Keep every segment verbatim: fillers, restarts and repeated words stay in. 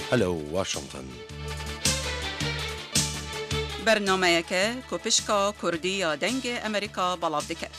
Hello Washington. Bernameyeke ku pişka Kurdî ya Dengê Amerîka belav diket.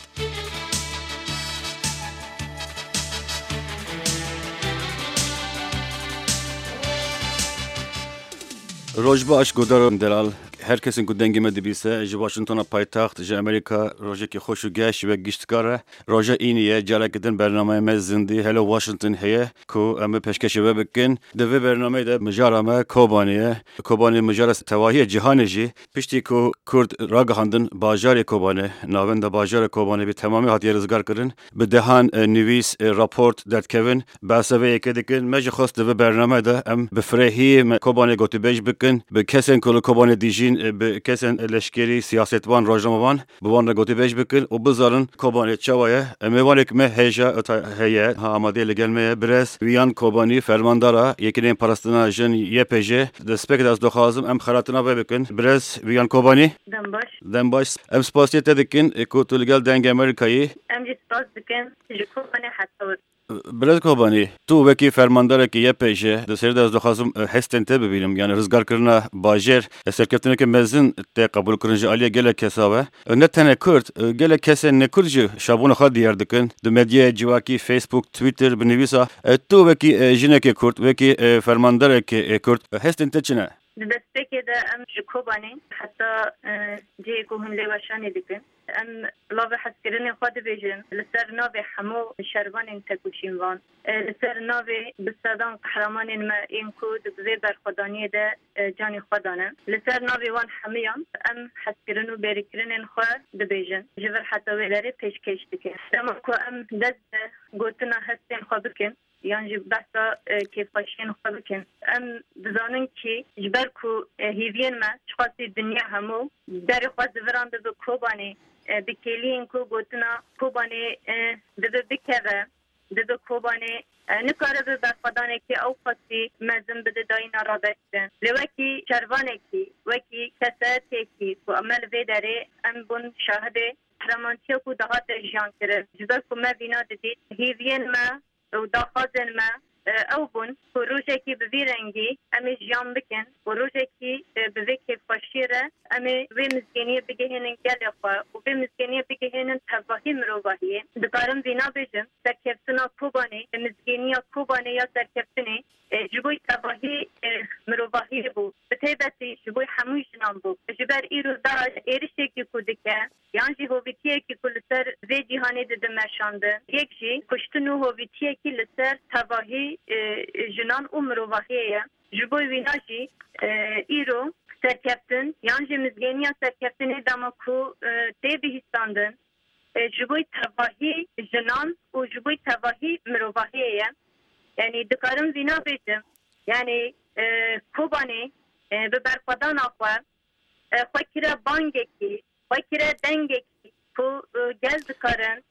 Roj baş, guhdaran delal. Her kesên ku dengê me dibîse, ji Washingtona paytaxt, ji Amerîka, rojekî xweş û geş ji we giştkar e. Roja înî ye, careke din bernameya me zindî Hello Washington heye ku em bi pêşkêşê we bikin. Di vê bernameyê de mijara me Kobanê ye. Kobanê mijara tevahî ye, cîhanê jî. Piştî ku Kurd ragihandin bajarê Kobanê, navenda bajarê Kobanê bi temamî hatiye rizgarkirin, bi dehan, e, nivîs, e, raport derdikevin, behsa vê yekê dikin. Me jî xwest di vê bername de em bi firehiyê me Kobanê gotûbêj bikin, bi kesên ku li Kobanê dijîn, e, bi kesên leşkerî, siyasetvan, rojnamevan, bi wan re gotûbêj bikin û bizanin Kobanê çawa ye. E, mêvanek me hêja, e, ta-, heye, ha, amadeyê li gel me ye. Birêz Viyan Kobanî, fermandara Yekîneyên Parastina Jin, Y P J. Destpêkê de ez dixwazim em xelatina vê bikin. Birêz Viyan Kobanî. Dem baş. Dem baş. Em spasiya te dikin, e, ku tu li gel Dengê Amerîkayê. Em jî spas dikin ji Kobanê heta wir. Birêz Kobanî, tu wekî fermandarekî Y P J, di serê de ez dixwazim, e, hestên te bibînim. Yani rizgarkirina bajêr, e, serkeftineke mezin tê qebûlkirin ji aliyê gelek kesa ve. E, ne tenê Kurd, e, gelek kesên nekurd jî şabûna xwe diyar dikin. Di medyaya civakî, Facebook, Twitter, bi nivîsa, e, tu wekî, e, jinekê Kurd, wekî, e, fermandarekê, e, Kurd, e, hestên te çi ne? Di destpêkê de em ji Kobanê heta, e, cihê ku hûn lê weşanê dikin, em lavê hezkirinê xwe dibêjin li ser navê hemû şervanên tekoşînvan, e, li ser navê bi sedan qehremanên me ên ku di vê berxwedaniyê de, e, canê xwe dane. Li ser navê wan hemûyan em hezkirin û bêrîkirinên xwe dibêjin. Ji vir heta wê derê pêşkêş dikin. Dema ku em dest bi gotina hestên xwe bikin, yan jî behsa, e, kêfxweşiyên xwe bikin. Em dizanin kî ji ber ku, e, hêviyên me çiqasî dinya hemû berê xwe zivirandibû Kobanê, e, bi kêliyên ku gotina Kobanê, e, dibe bikeve, dibe Kobanê, e, nikaribe berxwedanekî ew qasî mezin bide dayîna rabe kirin. Lê wekî şervanekî, wekî kesayetekî ku me li vê derê em bûn şahidê qehremantiya ku dihate jiyan kirin. Ji ber ku me vîna didît, hêviyên me û daxwazên me, e, ew bûn ku rojekî bi vî rengî em ê jiyan bikin û rojekî, e, bi vê kêfxweşiyê re em ê vê mizgêniyê bigihênin gelê xwe û vê mizgêniyê bigihênin tevahî mirovahiyê. Dikarim vîna bêjim, serkeftina Kobanê, mizgêniya Kobanê ya serkeftinê, e, ji bo tevahî, e, mirovahiyê bû. Bi taybetî ji bo hemû jinan bû. Ji ber îro DAIŞ êrişekî ku dike, yan jî hovîtiyekî ku li ser vê cîhanê dide meşandin, yek jî kuştin û hovîtiyekî li ser tevahî, e, jinan û mirovahiyê ye. Ji bo wîna jî, e, îro serkeftin yan jî mizgêniya serkeftinê dema ku, e, tê bihîstandin, e, ji bo tevahî jinan û ji bo tevahî mirovahiyê ye. Yanî dikarim vîna bêjim. Yanî, e, Kobanê, e, bi berxwedana xwe, e, xwe kire bangekî, xwe kire dengekî ku, e, gel dikarin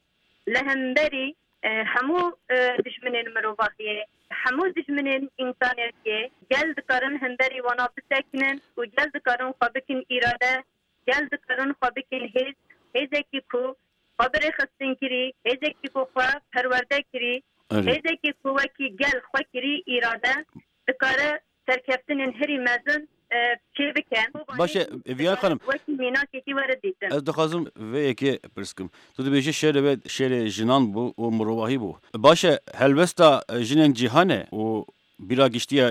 li hemberî, e, hemû, e, dijminên mirovahiyê, hemû dijminên însaniyetiyê, gel dikarin hemberî wana bisekinin û gel dikarin xwe bikin îrade, gel dikarin xwe bikin hêz, hêzekî ku xwe bi rêxistinkirî, hêzekî ku xwe perwerde kirî, Erê. Hêzekî ku wekî gel xwe kirî îrade, dikare serkeftinên herî mezin, e, çêbike. Baş e, Viyan xanim. Wekî mînakekî were dîtin. Ez dixwazim vê yekê pirs kim. Tu dibêjî şêrê wê şêrê jinan bû û mirovahî bû. Baş e, helwesta, e, jinên cîhanê û bîra giştiya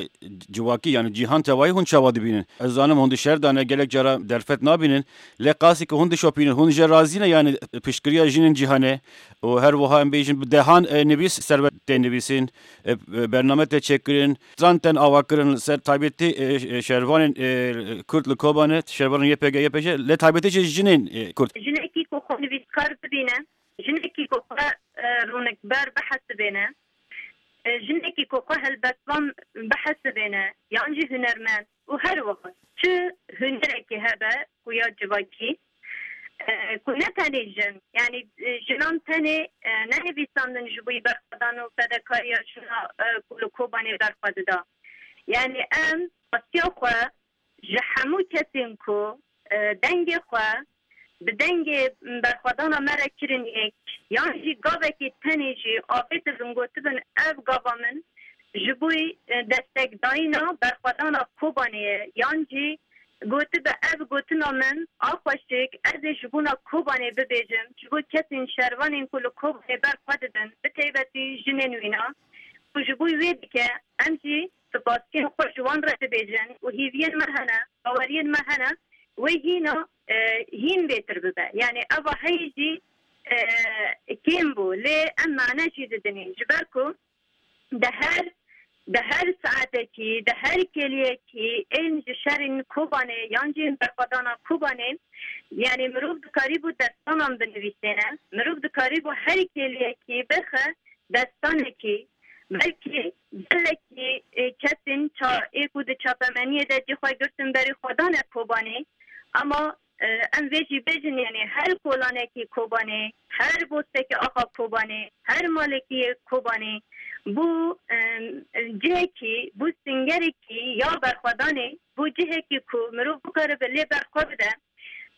civakî, yani cîhan tevayî hûn çawa dibînin? Ez zanim hûn di şer de ne, gelek cara derfet nabînin. Lê qasî ku hûn dişopînin, hûn jê razî ne, yani piştgiriya jinên cîhanê û her wiha em bêjin bi dehan, e, nivîs ser we tê nivîsîn, e, e, bername tê çêkirin, stran tên avakirin li ser taybetî, e, e, şervanên, e, Kurd li Kobanê, şervanên Y P G, Y P J, lê taybetî jî jinên, e, Kurd. Jinekî ku xwe nivîskar bibîne, jinekî ku xwe, e, rûnikber bihesibêne, e, jinekî ku xwe helbestvan bihesibêne, yan jî hunermend û her wiha çi hunerekî hebe ku ya civakî, e, ku ne tenê jin, yanî, e, jinan tenê, e, nenivîsandin ji bo berxwedan û fedakariya jina, e, ku li Kobanê berxwe dida. Yanî em xwestiya xwe ji hemû kesên ku, e, dengê xwe bi dengê berxwedana me re kirin yek, yan jî gavekê tenê jî avêtibin gotibin, ev gava min, ji bo, e, destekdayîna berxwedana Kobanê ye, yan jî gotibe, ev gotina min a xweşik, ez ê ji bona Kobanê bibêjim, ji bo kesên şervanên ku li Kobanê ber xwe didin, bi taybetî jinên wîna, ku ji bo wê dike, em jî spasiyên xwe ji wan re dibêjin û hêviyên me hene, baweriyên me hene, wê hîna, e, hîn bêtir bibe. Yani eva heyî jî, e, kêm bû, lê em mane jî didinê. Ji ber ku di her, di her saetekî, di her kêliyekî ên ji şerên Kobanê yan jî ên berxwedana Kobanê, yani mirov dikarîbû destanan binivîsêne, mirov dikarîbû her kêliyekî bixe destanekî, belkî gelekî, e, kesên ça-, ê ku di çapemeniyê de cî xwe girtin berî xwedana Kobanê, ama, e, em vê jî bêjin, yani her kolanekî Kobanê, her bostekî axa Kobanê, her malekî yê Kobanê bû, e, cihekî, bû singerekî ya berxwedanê, bû cihekî ku mirov bikaribe lê berxwe bide.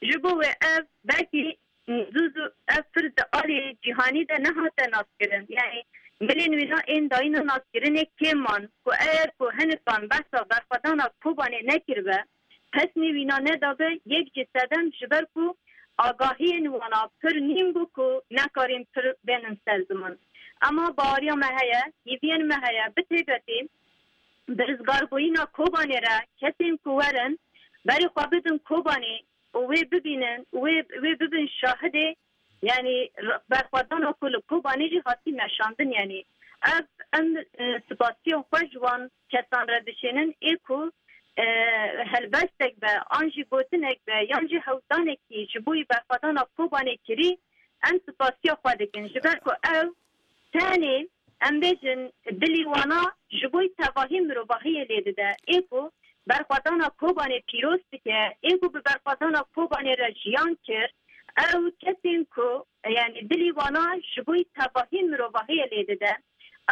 Ji bo wê ev belkî zû zû ev pir di alî cîhanî de nehate naskirin. Yani milên wîna ên dayîna naskirinê kêm man ku eger ku hinikan behsa berxwedana Kobanê nekiribe, pesnê wîna nedabe, yek jî sedem ji ber ku agahiyên wana pir nîn bû ku nekarîn pir bênin ser ziman. Ema baweriya me heye, hêviyên me heye, bi taybetî bi rizgarbûyîna Kobanê re kesên ku werin berê xwe bidin Kobanê û wê bibînin û wê, wê bibin şahidê, yani r-, berxwedana ku li Kobanê jî hatî meşandin, yani ev em, e, spasiya xwe ji wan kesan re dişênin ê ku, e, helbestek be, an jî gotinek be, yan jî hewldanekî ji bo berxwedana Kobanê kirî, em spasiya xwe dikin. Ji ber ku ev tenê, em bêjin, dilî wana ji bo tevahî mirovahiyê lê dide. Ê ku berxwedana Kobanê pîroz dike, ê ku bi berxwedana Kobanê re jiyan kir, ew kesên ku, yani dilî wana ji bo tevahî mirovahiyê lê dide.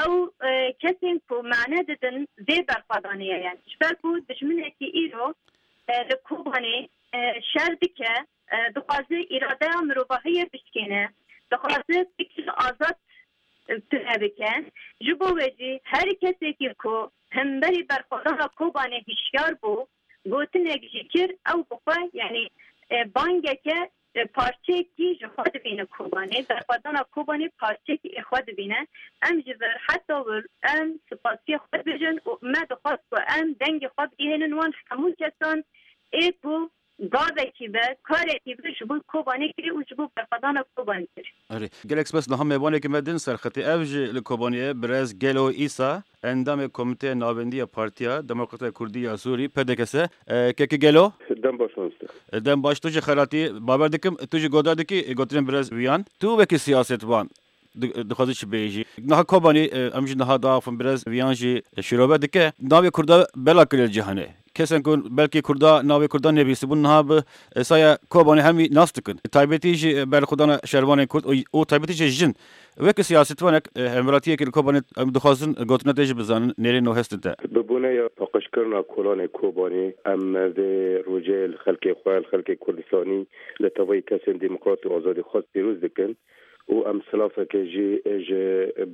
Ew, e, kesên ku mane didin vê berxwedanê ye. Yani ji ber ku dijminekî îro, e, li Kobanê, e, şer dike, e, dixwaze îradeya mirovahiyê bişkêne, dixwaze fikir azad, e, tune bike. Ji bo wê jî her kesekî ku hemberî berxwedana Kobanê hişyar bû, gotinek jî kir, ew bi xwe, yani, e, bangeke, e, parçeyekî ji xwe dibîne Kobanê, berxwedana Kobanê parçeyekî ê xwe dibîne. Em ji vir heta wir em spasiya xwe dibêjin û me dixwest ku em dengê xwe bigihînin wan hemû kesan ê ku gavekî be, karekî be ji bo Kobanê kirî û ji bo berxwedana Kobanê kirî. Erê, gelek spas, niha mêvanekî me din ser xetê. Ev ji li Kobanê ye, birêz Gelo Îsa, endamê Komîteya Navendî ya Partiya Demokrata Kurdî ya Sûrî, P D K S. E, kekî Gelo? Dem baş mamoste. E, dem baş, tu jî xelatî. Bawer dikim, tu jî godar dikî, e, gotinên birêz Viyan. Tu wekî siyasetvan, di-, dixwazî çi bêjî? Niha Kobanî, e, em jî niha diaxivin, birêz Viyan jî şîrove dike. Navê Kurda bela kiriye li cîhanê. Kesên ku belkî Kurda, navê Kurda nivîsîbûn, niha bi, e, saya Kobanê hemî nas dikin. Taybetî jî, e, berxwedana şervanên Kurd û, û taybetî jî jin. Wekî siyasetvanek, e, hemwelatiyekî li Kobanê em dixwazin gotina te jî bizanin, nêrîno hestin te. Bi boneya paqijkirina kolanê Kobanê, em vê rojê li xelkê xwe, li xelkê Kurdistanî, li tevayî kesên demokrat û azadîxwaz pîroz dikin. û em silafeke jî ji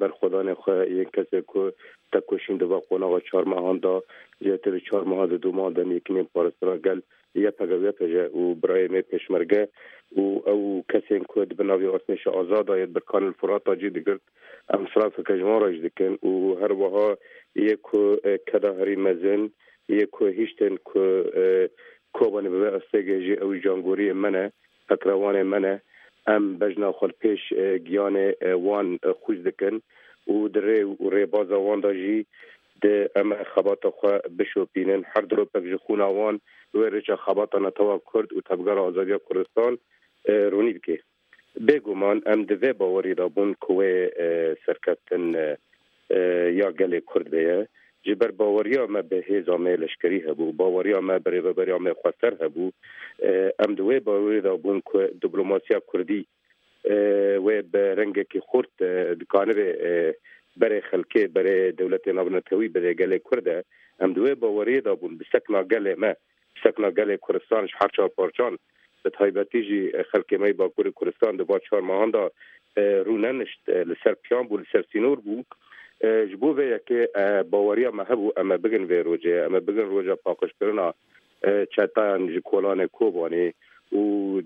berxwedanê xwe yên kesê ku tekoşîn di va qonaxa çar mehan de, zêdetir li çar mehan di dûman de yekînên parastina gel Y P G, Y P J û birayê me pêşmerge û ew kesên ku di bin navê artêşa azad de yên birkan li Furata cî digirt, em silafeke ji wan re jî dikin û her wiha yê ku, e, keda herî mezin, yê ku hiştin ku, e, Kobanê bi vê astêgê jî ew jangoriyê me ne. Pekrewanê me ne. Em bejna xwe li pêş, e, giyanê, e, wan, e, xwîz dikin û di rê û rêbaza wan de jî di em xebata xwe bişopînin. Her diropek ji xûna wan wê rêça xebata netewa Kurd û Tevgera Azadiya Kurdistan, e, ronî dike. Bêguman em di vê bawerî de bûn ku wê, e, serkeftin, e, e, ya gelê Kurd bêye. Ji ber baweriya me bi hêza me leşkerî hebû, baweriya me bi rêveberiya me xweser hebû. E, em di wê bawerî de bûn ku diplomasiya Kurdî, e, wê bi rengekî xurt, e, dikanibe, e, berê xelkê, berê dewletê navnetewî, berê gelê Kurd e. Em di wê baweriyê de bûn, bi sekna gelê me, sekna gelê Kurdistan ji her çar parçan, bi taybetî jî, e, xelkê me yê Bakurê Kurdistan di va çar mehan de, e, rûnenişt, e, li ser piyan bû, li ser sînor bû. E, ji bo vê yekê, e, baweriya me hebû em ê bigin vê rojê, em ê bigin roja paqijkirina, e, çetayan ji kolanê Kobanê û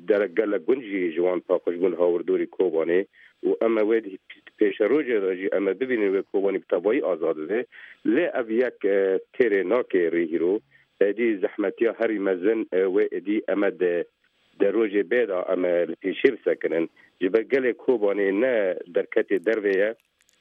dere gelek gund jî ji wan paqij bûn hawirdorî Kobanê û em ê wê di pêşerojê de jî em ê bibînin wê Kobanî bi tevayî azad bibe. Lê ev yek, e, têrê nake rê hîro. Êdî zehmetiya herî mezin, e, wê êdî em ê di, di rojê bê de em ê li pêşê bisekinin. Ji ber gelê Kobanê ne derketê dervê ye,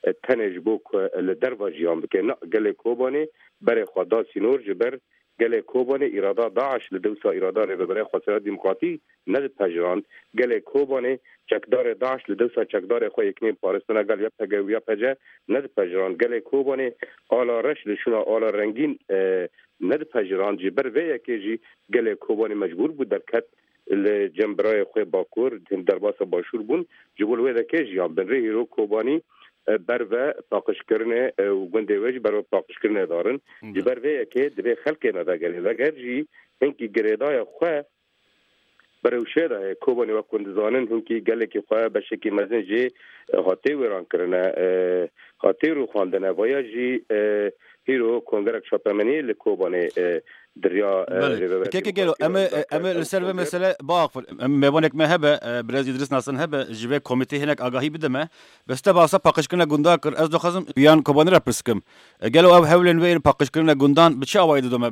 e, tenê ji bo ku li derva jiyan bike. Na, gelê Kobanê berê xwe da sînor ji ber gelê Kobanê îrada DAIŞ li dewsa îrada Rêveberê Xwesera Demokratî nedipejirand. Gelê Kobanê çekdarê DAIŞ li dewsa çekdarê xwe yeknên parastina gel Y P G û Y P C nedipejirand. Gelê Kobanê ala reş li şûna ala rengîn, e, nedipejirand. Ji ber vê yekê jî gelê Kobanê mecbûr bû derket li cem birayê xwe Bakur, hin derbasa Başûr bûn. Ji bo li wê dekê jiyan bin rê hîro Kobanî, e, berve paqijkirinê, e, û gundê wê jî berve paqijkirinê darin. Ji ber vê yekê divê xelkê me vegerê. Veger jî hinkî girêdaya xwe berewşê de heye. Kobanê wek hûn dizanin hinkî gelekî xwe beşekî mezin jê, e, hatê wêran kirine, e, hatê rûxandine. Vaya jî, e, hîro kongerek çapemeniyê li Kobanê, e, diriya, e, Belê. Rêveberê Keke Gelo, em ê, Demokratî em ê li ser vê mesele biaxivin. Em mêvanek me hebe, e, Birêz Îdris Nasin hebe, ji vê komîtê hinek agahî bide me. Bes te bahsa paqijkirina gundan kir. Ez dixwazim yan Kobanê re pirs bikim. E, gelo ev hewlên wê yên paqijkirina gundan bi çi awayî didome?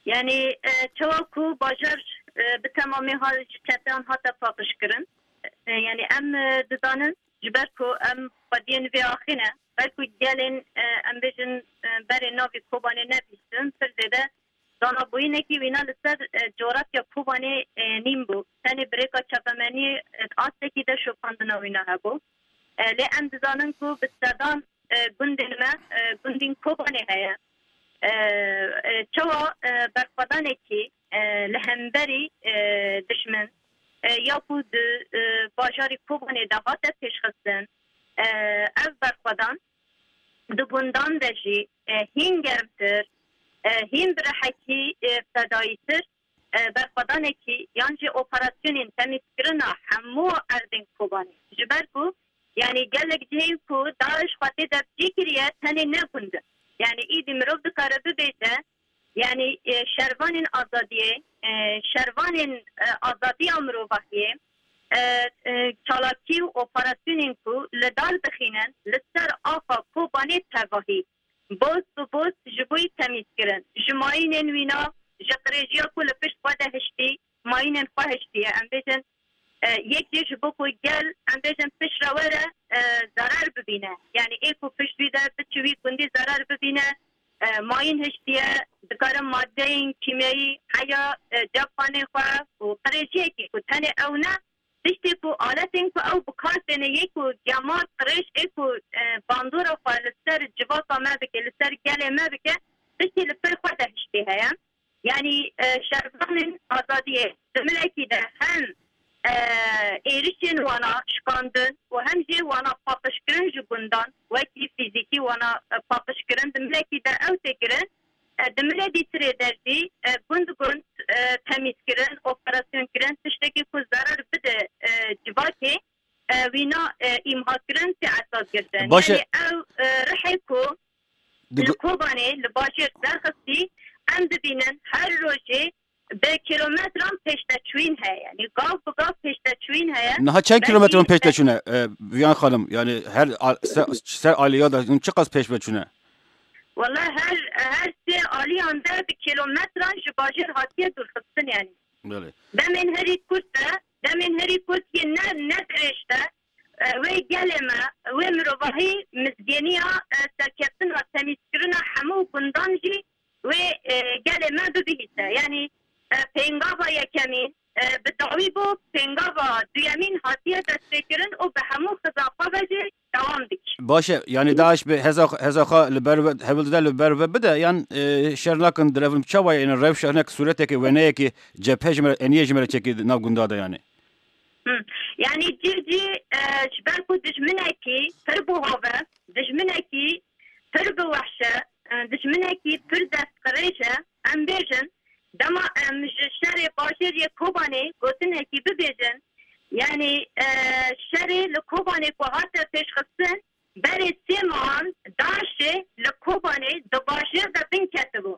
Yani, e, çawa ku bajar, e, bi temamê ha-, ji çeteyan hate paqijkirin. E, yani em, e, dizanin, ji ber ku em xwediyên vê axê ne, ber ku gelên, e, em bêjin, e, berê navê Kobanê nebîstin, pir zêde zanabûyînekî wîna li ser, e, coğrafya Kobanê, e, nîn bû. Tenê bi rêka çapemeniyê, e, astekî de şopandina wîna hebû. E, lê em dizanin ku bi sedan, e, gundên me, e, gundên Kobanê heye. E, e, çawa, e, berxwedanekî, e, li hemberî, e, dişmin, e, ya ku di, e, bajarî Kobanê de hate pêşxistin, e, ev berxwedan di gundan de jî, e, hîn germtir, e, hîn bi rihekî, e, fedayîtir, e, berxwedanekî yan jî operasyonên temîzkirina hemû erdên Kobanê. Ji ber ku, yanî gelek cihên ku DAIŞ xwe tê de cî kiriye, tenê ne gund in. Yanî îdî mirov dikare bibêje, yanî, e, şervanên azadiyê, e, şervanên, e, azadiya mirovahiyê, e, e, çalakî û operasyonên ku li dar dixînin li ser axa Kobanê tevahî, boz bi boz ji bo yî temîz kirin. Ji mayînên wîna, ji qirêjiya ku li pişt xwe de hiştî, mayînên xwe hiştiye. Em bêjin, e, yek jê ji bo ku gel, em bêjin, pişt re were, e, zarar bibîne. Yanî ê ku pişt wî de biçi wî gundî zarar bibîne, e, mayîn hiştiye, dikare madeyên kîmyayî heya, e, cepxanê xwe û qirêjiyekî ku tenê ew ne, tiştê ku aletên ku ew bi kar têne yê ku gemar qirêj ê ku, e, bandora xwe li ser civaka me bike, li ser gelê me bike, tiştê li pir xwe de hiştê heye. Yanî, e, şervanên azadiyê di milekî de hem, e, êrişên wana şikandin û hem jî wana paqijkirin ji gundan, wekî fîzîkî wana, e, paqijkirin di milekî de ew tê kirin. E, di milê dîtirê de jî, e, gund gund, e, temîz kirin, operasyon kirin, tiştekî ku zarar bide, e, civakê, e, wîna, e, îmha kirin tê esas girtin. Baş e. Yanî ew, e, rihê ku Di li gu- Kobanê, li bajêr derxistî, em dibînin her rojê bi kilometran pêşteçûyîn heye. Yanî gav bi gav pêşteçûyîn heye. Niha çend Belkî kilometran pêşteçûn e, e, Viyan Xanim? Yani her al-, se-, ser alîya de çiqas pêş ve çûne? Wala her, her sê aliyan de bi kilometran ji bajêr hatiye dûrxistin yani. Belê. Demên herî kurt de, demên herî kurt yên ne, ne dirêj de, e, wê gelê me, wê mirovahî mizgêniya, e, serkeftina temîzkirina hemû gundan jî wê, e, gelê me bibihîse. Yanî, e, pêngava yekemîn, e, bi dawî bû, pêngava duyemîn hatiye destpêkirin û bi hemû xiza xwe ve jî dewam dike. Baş e, yani DAIŞ bi heza, heza xwe li ber ve, hewl dide li ber ve bide, yan, e, şer nakin direvin çawa ye, yani rewşa hinek sûreteke, wêneyeke cephe ji me re, eniyê ji me re çekî nav gunda de yani. Hı. Yani cî cî, e, ji ber ku dijminekî pir bi hov e, dijminekî pir bi wehş e, e, dijminekî pir destqirêj e, em bêjin, dema em ji şerê bajêr yê Kobanê gotinekî bibêjin, yanî, e, şerê li Kobanê ku hate pêşxistin, berê sê mehan DAIŞ şêr de bin ketibû.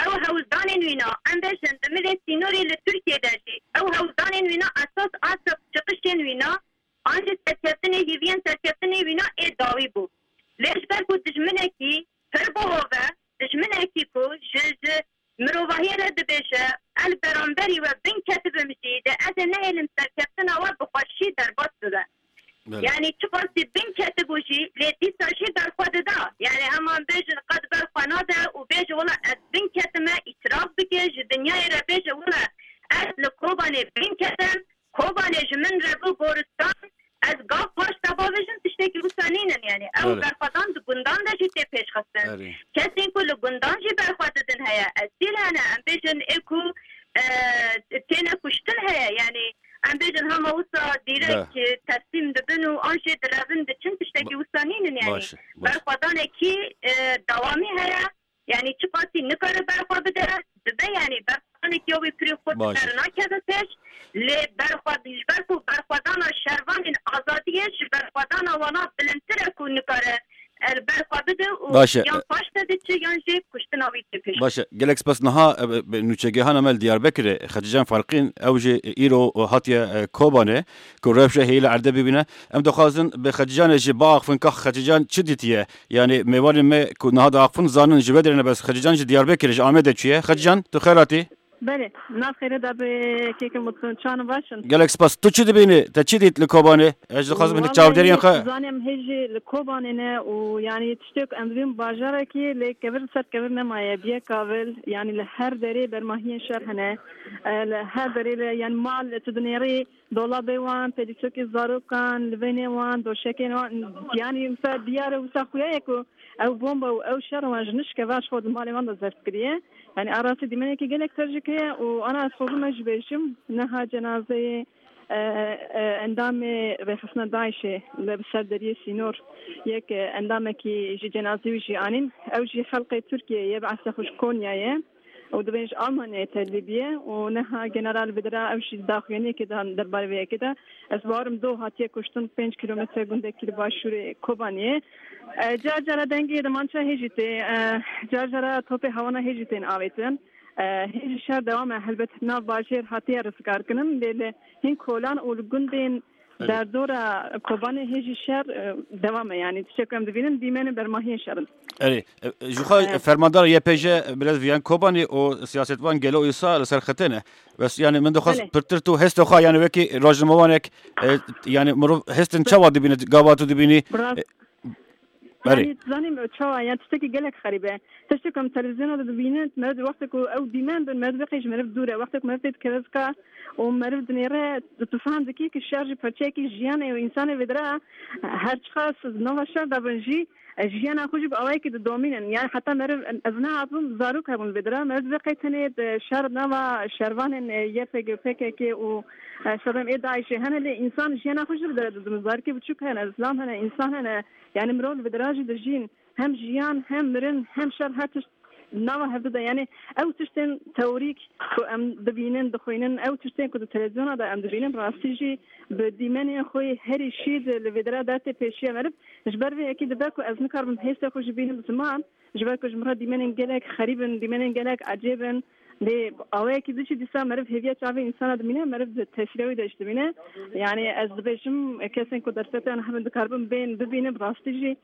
Ew hewldanên wîna, em bêjin, di milê sînorê li Tirkiyê de jî, ew hewldanên wîna esas a ser çıkışên wîna, an jî serkeftinê, hêviyên serkeftinê wîna ê dawî bû. Lê ji ber ku dijminekî pir bihov e, dijminekî ku ji, ji mirovahiyê re dibêje, el beramberî we bin ketibim jî, de ez ê nehêlim serkeftina we bi xweşî derbas bibe. Belê. Yani çiqasî bin ketibû jî, lê dîsa jî berxwe dida. Yani hema em bêjin qet berxwe nade û bêje wela ez bin ketime, îtiraf bike, ji dinyayê re bêje wela ez li Kobanê bin ketim, Kobanê ji min re bû goristan, ez gav paş de bavêjim, tiştekî wisa nînin yani. Ew Belê. berxwedan di gundan de jî tê pêşxistin. Erê. Kesên ku li gundan jî berxwe didin heye. Esîl hene, em bêjin ê ku, e, têne kuştin heye. Yani em bêjin hema wisa dîrek, Be. e, teslîm dibin û an jê direvin diçin, tiştekî Ba- wisa nînin yani. Baş e, baş. Berxwedanekî, e, dewamî heye. Yani çiqasî nikare berxwe bide, dibe yani berxwedanekî ya wî pirî xwe Baş. dikare nakeve pêş. Lê berxwe, ji ber ku berxwedana şervanên azadiyê ji berxwedana wana bilindtir e ku nikare el berxwe bide û Baş e. yan paş de diçe yan jî kuştina wî tê pêş. Baş e. Gelek spas. Niha, e, bi, bi nûçegihana me li Diyarbekirê, Xecîcan Felqîn, ew jî îro hatiye, e, Kobanê, ku rewşe hêyî li erdê bibîne. Em dixwazin bi Xecîcanê jî biaxifin, ka Xecîcan çi dîtiye? Yani mêvanên me ku niha diaxifin zanin ji we derê ne, bes Xecîcan ji Diyarbekirê, ji Amedê çûye. Xecîcan, tu xêr hatî? Belê, nav xêrê de bi kêkin mutlu, çan û baş in. Gelek spas. Tu çi dibînî? Te çi dît li Kobanê? Ez dixwazim hinek çavdêriyên Wallahî xwe. Zanim hê jî li Kobanê ne û yani tiştê ku em dibîn bajarekî lê kevir li ser kevir nemaye, biye kavil, yani li her derê bermahiyên şer hene. E, li her derê li, yani mal tu dinêrî, dolabê wan, pêlîsokê zarokan, livênê wan, doşekên wan, yani wisa diyar e, wisa xuya ye ku ew bomba û ew şer wan ji nişke ve ji xwe di malê wan de zeft kiriye. Yani a rastî dîmenekî gelek tercik heye û ana ez xwezim ez jî bêjim, niha cenazeyê, e, e, endamê rêxistina DAIŞê li ser deriyê sînor yek, e, endamekî ji cenazeyê wî jî anîn. Ew jî xelqê Tirkiyeyê ye, bi esla xwe ji Konyayê. û dibên ji Almanyayê tevlî bûye û niha General Vidra ew jî di daxuyaniyekê de derbarê vê yekê de. Ez bawerim do hatiye kuştin pênc kîlometre gundekî li başûrê Kobaniyê. E, car cara dengê demança hê jî tê, e, car cara topê hawana hê jî tên avêtin. E, hê jî şer dewam e, helbet nav bajêr hatiye rizgarkirin, lê li hin kolan û li gundên Evet. Derdora Kobanê hê jî şer, e, dewam e, yani tiştek ku em dibînin dîmenên bermahiyên şer in. Erê, e, ji xwe Evet. fermandar Y P J, biraz Viyan Kobanî û siyasetvan gelo îsa li ser xetê ne. Bes yani min dixwest Belê. pirtir tu hestê xwe yani wekî rojnamevanek, e, yani mirov hestin çawa dibîne, gava tu dibînî? Biraz E, Erê. Yani, zanîm çawa, yani tiştekî gelek xerîb e. Tiştek em televîzyona de dibînin, meriv di wextê ku ew dîmen bin, meriv dibe qey ji meriv dûr e. Wextê ku meriv tê dikeve zika û meriv dinêre, tu fam dikî ki şer jî parçeyekî jiyanê û însanê vê dira, her çiqas di nava şer de bin jî, e, jiyana xwe jî bi awayekî didomînin. Yani heta meriv, ez nehabim, zarok hebûn vê dira. Meriv dibe qey tenê di şer nava şervanên, e, Y P G, P K K û, e, şerên ê DAIŞê hene, lê însan jiyana xwe jî vê dira didin. Zarokê biçûk hene, zilam hene, însan hene. Yani mirov li vê dira jî dijîn. Hem jiyan, hem mirin, hem şer, her tişt nava hevdu de. Yani ew tiştên teorîk ku em dibînin, dixwînin, ew tiştên ku di televîzyona de em dibînin, rastî jî bi dîmenên xwe herî şîd li vê dira dertê pêşiya meriv. Ji ber vê yekê dibe ku ez nikaribim hêstê xwe jî bînim ziman, ji ber ku ji min re dîmenên gelek xerîb in, dîmenên gelek ecêb in. Lê awayekî din jî dîsa meriv hêviya çavê însana dimîne, meriv di tesîra wî de jî dimîne. Yani ez dibêjim, kesên ku derfetê wan hebin dikaribin bên bibînin, bi rastî jî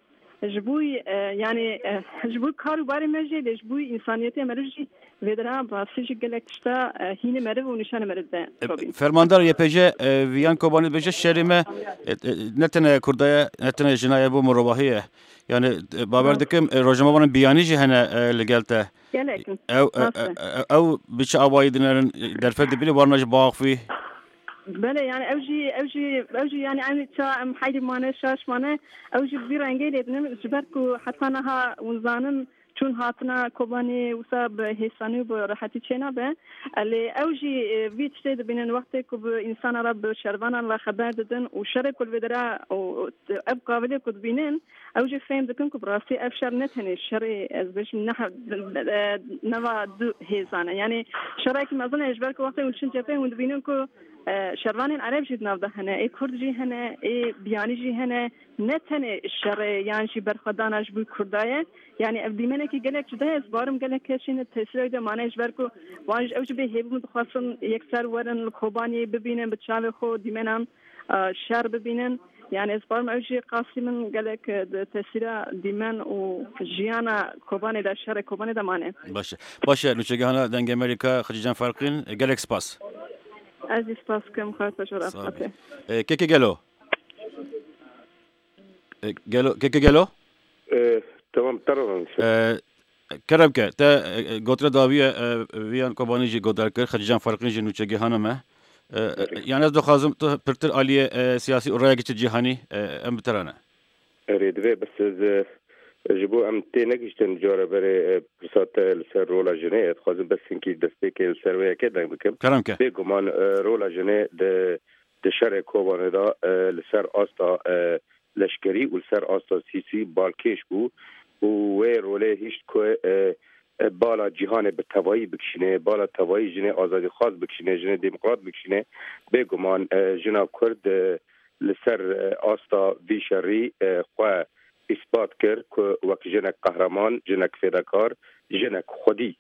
ji bo, e, yani, e, ji bo kar û barê me jî, lê ji bo însaniyetê meriv jî vê dira bi rastî jî gelek tişta, e, hînê meriv û nîşanê meriv de E, çavîn. Fermandar Y P J, e, Viyan Kobanî dibêje şerê me, e, e, ne tenê kurda ye, ne tenê jina ye, bo mirovahî ye. Yani, e, bawer Rast. dikim, e, rojnamevanên biyanî jî hene, e, li gel te. Gelek in. Ew, e, Rast e, e. e, ew bi çi awayî dinerin, e, derfet dibîne, warna ji biaxivî? Belê, yani ew jî, ew jî, ew jî yani eynî ça em heylî mane, şaş mane, ew jî bi vî rengê lê dinin, ji ber ku heta niha hûn zanin çûn hatina Kobanê wisa bi hêsanî û bi rehetî çênabe. Lê ew jî, e, vî tiştê dibînin wextê ku bi însana re, bi şervanan re xeber didin û şerê ku li vê dira û, û ev kavilê ku dibînin, ew jî fêm dikin ku bi rastî ev şer ne tenê şerê, ez bêjim, ne he-, e, nava du hêzan e. Yani şerekî mezin e, ji ber ku wextê hûn diçin cepheyê hûn dibînin ku E, şervanên Ereb jî di nav de hene, ê Kurd jî hene, ê biyanî jî hene. Ne tenê şerê yan jî berxwedana ji bo Kurda ye. Yani ev dîmenekî gelek cuda ye. Ez barim gelek kesên tesîra wî de mane ji ber ku wan ji ew jî bê hêvî min dixwestin yekser werin li Kobaniyê bibînin, bi çavê xwe dîmenan, e, şer bibînin. Yani ez barim ew jî qasî min gelek, e, di tesîra dîmen û jiyana Kobanê de, şerê Kobanê de mane. Baş e. Baş e, nûçegihana Dengê Amerîka, Xecîcan Ferqîn, gelek spas. Ez jî spas dikim, xatir ji we re. Sağ ol. Fatih. E, keke gelo. E, gelo, keke gelo? E, tamam, te re rûnişte. E, kerem ke, te, e, e, gotre dawiye, e, viyan Kobanî jî godar kir, Xecîcan Ferqîn jî nûçegihana me. E, e, Erê. Yani ez dixwazim tu pirtir aliyê, e, siyasî û raya giçî cîhanî, e, em bi te re ne. Erê, divê bes ez, e, ji bo em tê negihiştin cara berê, e, pirsa te li ser rola jinê, ez dixwazim bes hinkî destpêkê li ser wê yekê deng bikim. Kerem ke. Bêguman, e, rola jinê di, di şerê Kobanê de, e, li ser asta, e, leşkerî û li ser asta siyasî balkêş bû û wê rolê hişt ku, e, e, bala cîhanê bi tevayî bikişîne, bala tevayî jinê azadîxwaz bikişîne, jinê demokrat bikişîne. Bêguman, e, jina Kurd, e, li ser, e, asta vî şerî, e, xwe îspat kir ku wek jinek qehreman, jinek fêdekar, jinek xwedî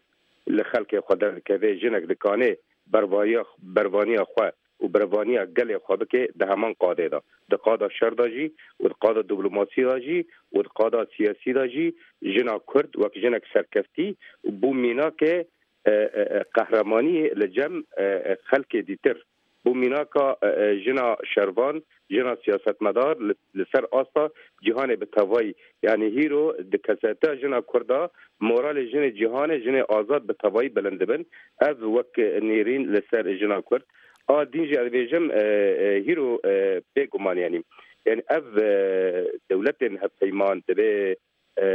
li xelkê xwe derdikeve, jinek dikane bervaniya, bervaniya xwe û bervaniya gelê xwe bike di heman qadê de. Di qada şer de jî û di qada diplomasî de jî û di qada siyasî de jî jina Kurd wek jinek serkeftî bû mînake, e, e, e, qehremaniyê li cem, e, e, xelkê dîtir. Bû mînaka, e, e, jina şervan, jina siyasetmedar li, li ser asta cîhanê bi tevayî. Yani hîro di kesetiya jina Kurda moralê jinê cîhanê, jinê azad bi tevayî bilind dibin. Ev wek nêrîn li ser jina Kurd. A din jî ez dibêjim, e, e, hîro, e, bêguman yani. Yani ev, e, dewletên hevpeyman divê, e,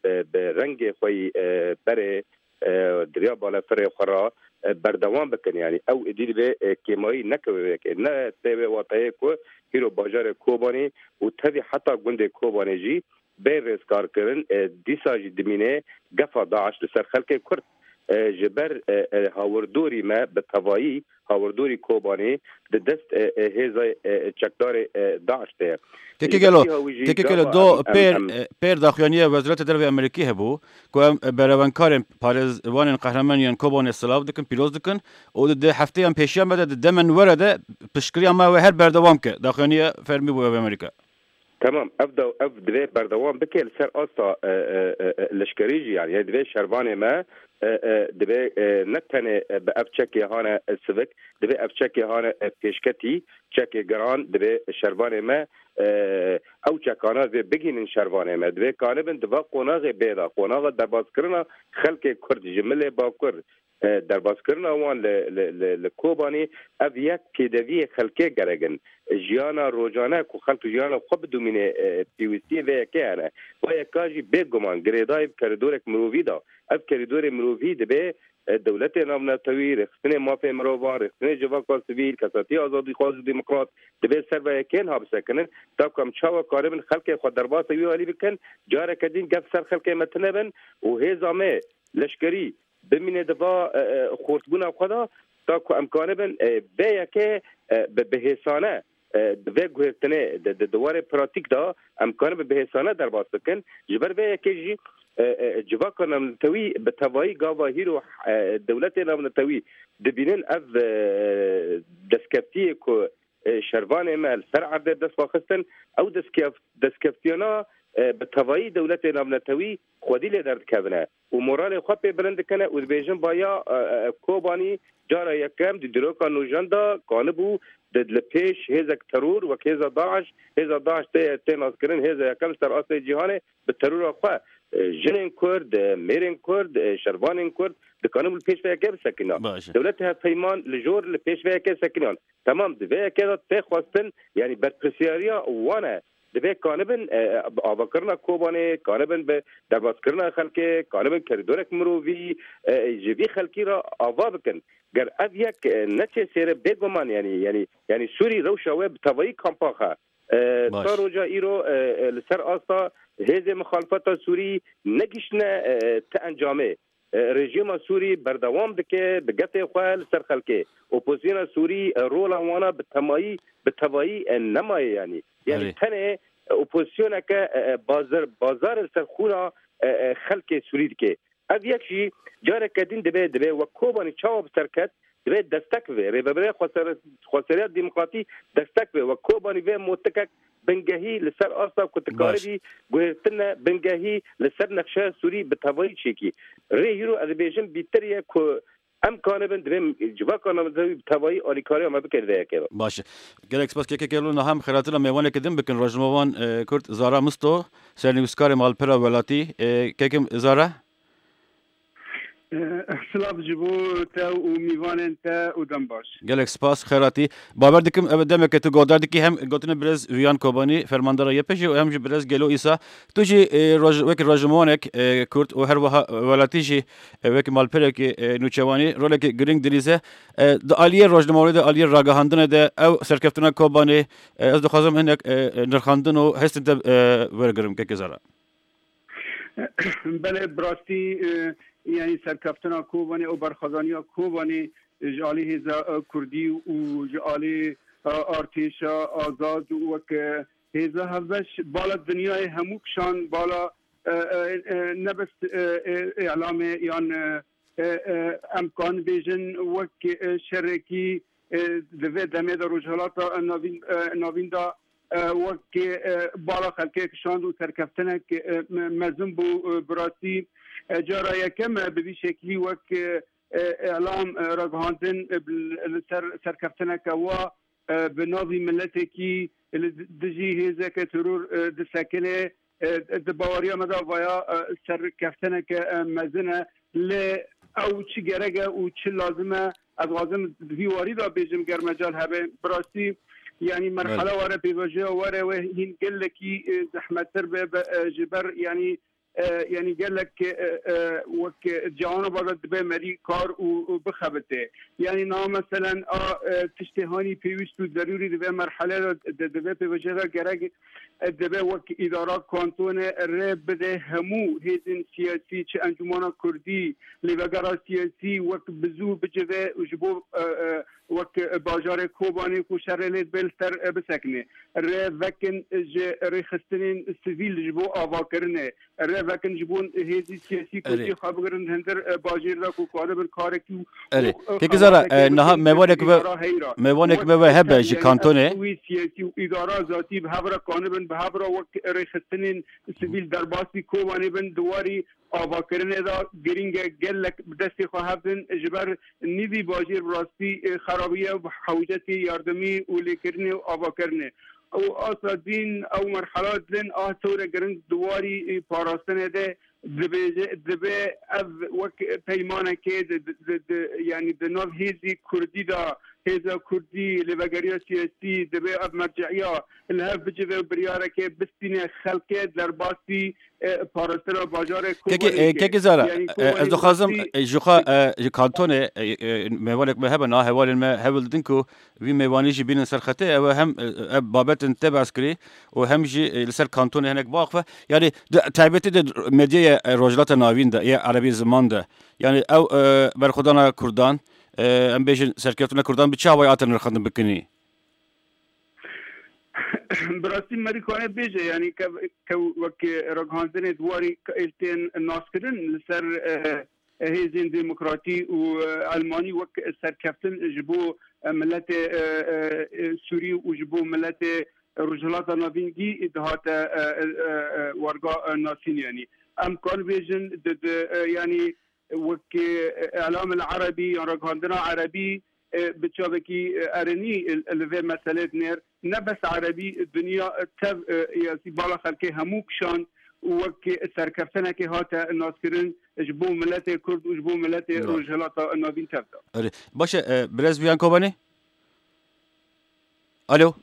bi, bi rengê xwe yî, e, berê, e, di riya balafirê xwe re, e, berdewam bikin. Yani ew êdî divê, e, kêmayî nekeve wê yekê. Ne tê wê wateyê ku hîro bajarê Kobanê û tevî heta gundê Kobanê jî bê rêzkarkirin, e, dîsa jî dimîne gefa DAIŞ li ser xelkê Kurd. E, ji ber, e, e, hawirdorî me bi tevayî, hawirdorî Kobanê di dest, e, e, hêza, e, çekdarê, e, DAIŞ de ye. Keke Ji gelo, ber vî hawî jî keke gelo gava do em, em, pêr, em e, pêr daxuyaniya Wezareta Derve Amerîkî hebû ku em, e, berevenkarên parêzvanên qehremaniyên Kobanê silav dikin, pîroz dikin û di, di hefteyan pêşiya me de, di demen were de piştgiriya me wê her berdewam ke. Daxuyaniya fermî bû ev Amerîka. Tamam, ev de, ev divê berdewam bike li ser asta, e, e, e, e, leşkerî jî, yani, yani divê şervanê me, e, e, divê, e, ne tenê, e, bi ev çekê hane, e, sivik, divê ev çekê hane, e, pêşketî, çekê giran, divê şervanê me, e, ew çekana divê bigihînin şervanê me. Divê kanibin di va qonaxê bê de, qonaxa derbaskirina xelkê Kurd ji milê Bakur, e, derbaskirina wan li, li, li, li Kobanê, ev yek pêdeviyê xelkê gerek in. Jiyana rojane ku xelk jiyana xwe bidomîne, e, pêwîstiyê vê yekê hene. Vê yeka jî bêguman girêdayî bi kerîdorek mirovî de. Ev kerîdorê mirovî divê, e, dewletê navnetewî, rêxistinê mafê mirovan, rêxistinê civaka sivîl, kesatiyê azadîxwaz û demokrat divê ser vê yekê niha bisekinin. Ta ku em çawa karibin xelkê xwe derbasî wî alî bikin, careke din gef ser xelkê me tune bin û hêza me leşkerî bimîne di va, e, e, xortbûna xwe de, ta ku em kanibin, e, vê yekê, e, bi, bi hêsane, e, di vê guhertinê, di, di, di warê pratîk de em kanibin bi hêsane derbas bikin. Ji ber vê yekê jî, e, e, civaka navnetewî bi tevayî gava hîro, e, dewletê navnetewî dibînin ev, e, destkeftiyê ku, e, şervanê me li ser erdê bi dest xwe xistin, ew destkef-, destkeftiyana, e, bi tevayî dewletê navnetewî xwedî lê derdikevine û moralê xwe pê bilind dikine û dibêjin, baya, e, e, Kobanî cara yekem di dîroka nûjen de kanibû di, li pêş hêzek teror wek hêza DAIŞ, hêza DAIŞ tê, tê naskirin hêza yekem li ser astê cîhanê bi terora xwe, e, jinên Kurd, e, mêrên Kurd, e, şervanên Kurd dikanibû li pêş vê yekê bisekina. Baş e. Dewletê hevpeyman li jor li pêş vê yekê sekiniyan. Temam, di vê yekê de tê xwestin, yani berpirsiyariya wan e. Divê kanibin, e, bi avakirina Kobanê, kanibin bi derbaskirina xelkê, kanibin kerîdorek mirovî, e, ji vî xelkî re ava bikin. Ger ev yek, e, neçê sêre bêguman, yani, yani, yani Sûrî rewşa wê bi tevayî kampa xe. E, Baş. Ta roja îro, e, e, li ser asta hêzê mixalifeta Sûrî negiştine, e, ti encamê. e, rejîma Sûrî berdewam dike bi gefê xwe li ser xelkê. Opozisyona Sûrî, e, rola wana bi temayî, bi tevayî, e, nemaye yanî. Yanî Erê. tenê, e, opozisyoneke, e, e, bazar, bazarê li ser xûna, e, e, xelkê Sûrî dike. Ev yek jî careke din dibe, dibe wek Kobanî çawa bi ser ket, dibe destek ve. Rêveberiya Xwesere-, Xweseriya Demokratî destek ve. Wek Kobanî vê motikek bingehî li ser asta ku tu Baş. karibî guhertine bingehî li ser nexşeya Sûrî bi tevayî çêkî. Rê hîro ez dibêjim bîtir ye ku em kanibin, divê civaka navzewî bi tevayî alîkariya me bike di vê yekê de. Baş e. Gelek spas kekê Kelo, niha em xêratina mêvaneke din bikin. Rojnamevan, e, Kurd Zara Misto, sernivîskarê malpera welatî. E, kekim Zara? Eh, silav ji bo te û mîvanên te û dem baş. Gelek spas, xêratî. Bawer dikim, ev demeke tu godar dikî hem gotinê birêz Viyan Kobanî, fermandara Y P G û hem jî birêz Gelo Îsa. Tu jî, e, roj-, wekî rojnamewanek, e, Kurd û her wiha welatî jî, e, wekî malperekî, e, nûçewanî rolekî girîng dilîze. E, di aliyê rojnamewanî de, aliyê ragihandinê de ew serkeftina Kobanê, e, ez dixwazim hinek, e, e, nirxandin û hestên te, e, wergirim, kekê Zara. Belê, bi rastî, e, yanî serkeftina Kobanê û berxwedaniya Kobanê ji alî hêza, e, Kurdî û ji alî, e, artêşa azad û wek, e, hêza hevbeş bala dinyayê hemû kişand, bala, e, e, e, ne bes, e, e, îlamê yan, e, e, e, em kan bêjin wek, e, şerekî, e, di vê demê de Rojhilata Navîn, e, Navîn de, e, wek, e, bala xelkê kişand û serkeftinek, e, me-, mezin bû, e, bi rastî, e, cara yekem e bi vî şeklî wek, e, e, îlam, e, ragihandin, e, bi-, li ser serkeftineke wa, e, bi navî miletekî li dijî hêzeke teror, e, disekine, e, di baweriya me de vaya, e, serkeftineke, e, mezin e. Lê ew çi gerek e û çi lazim e, ez dixwazim di vî warî de bêjim, ger mecal hebe. Bi rastî, yanî Belê. merhela were, pêvajoya were wê hîn gelekî, e, zehmettir be, be, e, ji ber, yanî, e, yanî gelek, e, e, wek cihana bada dibe merî kar û, û bixebite. Yanî niha meselen a, e, tiştê hanî pêwîst û zerûrî di vê merhele de, di, di vê pêvajoya de gerek, e, dibe wek îdara kantone rê bide hemû hêzên siyasî, çi encûmana kurdî, lêvegera siyasî wek bi zû bicive û ji bo, e, e, wek bajarê Kobanê ku şerê lê dibe li ser, e, bisekine. Rê vekin ji rêxistinên sivîl ji bo avakirinê. Rê vekin ji bo hêzî siyasî ku Erê. jê xwe bigirin hundir, e, bajêr de ku karibin karekî û, Erê. û, e, Kekî Zara, xebateke e, niha bikin mêvanek ji me, îdara heyra. mêvanek Wek me ve hebe ji yanî kantonê. ev wî siyasî û îdara zatî bi hev re kanibin, bi hev re wek rêxistinên sivîl derbasî Kobanê bin, di warî avakirinê de girîng e gelek bi destê xwe hev din, ji ber nîvî bajêr bi rastî, e, xerabiye û hewcetê yardimî û lêkirinê û avakirinê. Û asta din ew merhela din a tewre giring di warî, e, parastinê de dibêje, dibe ev wek peymanekê di, di, di, di, yanî di nav hêzî kurdî de, hêza kurdî, lêvegeriya siyasî, dibe ev merciya li hev bicive û biryarekê bistîne xelkê derbasî, e, parastina bajarê Kekî, Kobanê e, bike. Kekî Zara, Yanî e, ez Kobanê dixwazim, rastî e, ji xwe, e, ji kantonê, e, e, mêvanek me hebe, na hevalên me hewl didin ku vî mêvanî jî bînin ser xetê, ew hem, e, ev babetên te behs kirî û hem jî, e, li ser kantonê hinek biaxife. Yanî di taybetî de medyaya, e, Rojhilata Navîn de, ya erebî ziman de, yanî ew, e, berxwedana Kurdan, e, em bêjin serkeftina Kurdan bi çi awayî hate nirxandin bikinî? Bi rastî merî kane bêje, yanî ke, ke wek ragihandinê di warî ke tên naskirin li ser, e, hêzên demokratî û, e, Elmanî wek serkeftin ji bo, e, miletê, e, e, e, Sûrî û ji bo miletê Rojhilata Navîn gî dihate, e, e, e, e, warga, e, nasîn, yanî. Em kan bêjin di, di, e, yanî wek, e, îlam el erebî yan ragihandina erebî, e, bi çavekî, e, erinî, e, li vê meselê dinêr. Ne bes erebî, dinya, e, tev, e, yasî bala xelkê hemû kişand û wek serkeftinekê hate naskirin ji bo miletê Kurd û ji bo miletê Rojhilata Navîn tev de. Erê. Baş e, e, birêz Viyan Kobanê? Alo.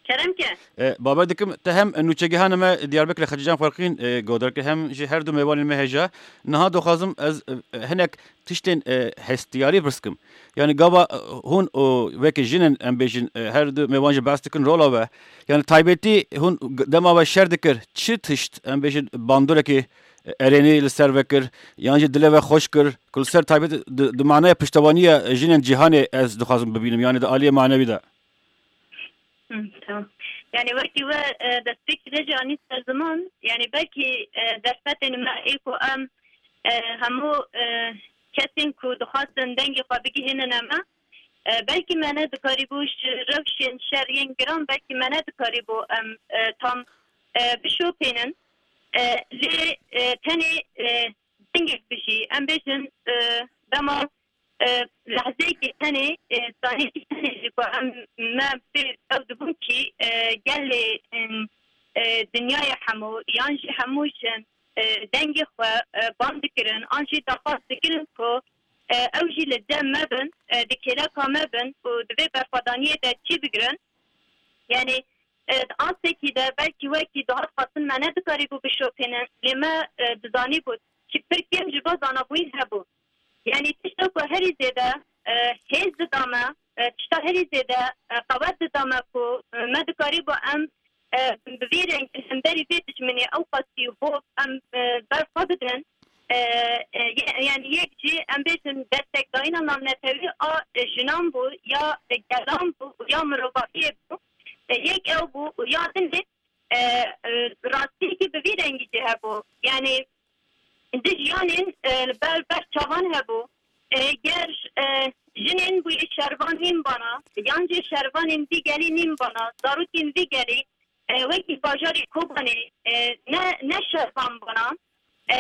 Kerem ke. E, bawer dikim, te hem nûçegihana me Diyarbekirê Xecîcan Ferqîn, e, godarkir hem jî her du mêvanên me hêja. Niha dixwazim ez, e, hinek tiştên, e, hestiyarî pirs kim. Yanî gava, e, hûn û wekî jinên, em bêjin, e, her du mêvan jî behs dikin rola we. Yanî taybetî hûn g-, dema we şer dikir, çi tişt, em bêjin, bandorekê erênî li ser vekir, yan jî dilê ve xweş kir, ku li ser taybet di, di manaya piştevaniya jinên cîhanê ez dixwazim bibînim, yanî di aliyê manewî de. Hı, tamam. Yani wekî we, e, destpêkî de jî anî ser ziman, yani belkî, e, derfetên me ê ku em, e, hemû, e, kesên ku dixwastin dengê xwe bigihînine me, e, belkî me nedikarîbû ji rewşên şer yên giran, belkî me nedikarîbû em, e, tam, e, bişopînin. E, lê, e, tenê, e, dengek bijî, em bêjin, e, dema, e, lehzeyekî tenê, e, saniyekî tenê jî ku em, me pê ew dibûn kî, e, gelê, e, e, dinyayê hemû, yan jî hemû jin, e, dengê xwe, e, ban dikirin, an jî daxwaz dikirin ku, e, ew jî li cem me bin, e, di kêleka me bin û di vê berxwedaniyê de cî bigirin. Yani, e, di astekî de belkî wekî dihat xwestin me nedikarîbû bişopînin, lê me, e, dizanîbû kî pir kêm ji bo zanabûyî hebû. Yani tişta ku herî zêde, e, hêz dida me, e, tişta herî zêde, e, qewet dida me ku, e, me dikarîbû em, e, bi vî rengî li hemberî vê dijminê ew qasî hov em, e, ber xwe bidin. E, e, ye-, yani yek jî em bêjin destekdayîna navnetewî a, e, jinan bû, ya, e, gelan bû, ya mirovahiyê bû. E, yek ew bû û ya din jî, e, e, rastiyekî bi vî rengî jî hebû. Yani di jiyanên, e, li ber, ber çavan hebû. E, ger, e, jinên bûyî şervan nîn bana, yan jî şervanên vî gelî nîn bana, zarokên vî gelî, e, wekî bajarê Kobanê, e, ne, ne şervan bana, e,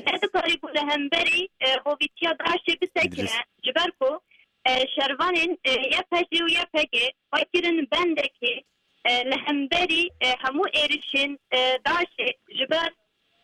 nedikarîbû li hemberî, e, hovîtiya DAIŞê bisekine, ji ber ku, e, şervanên, e, Y P G û Y P G xwe kirin bendekê, e, li hemberî, e, hemû êrişên, e, DAIŞê, ji ber,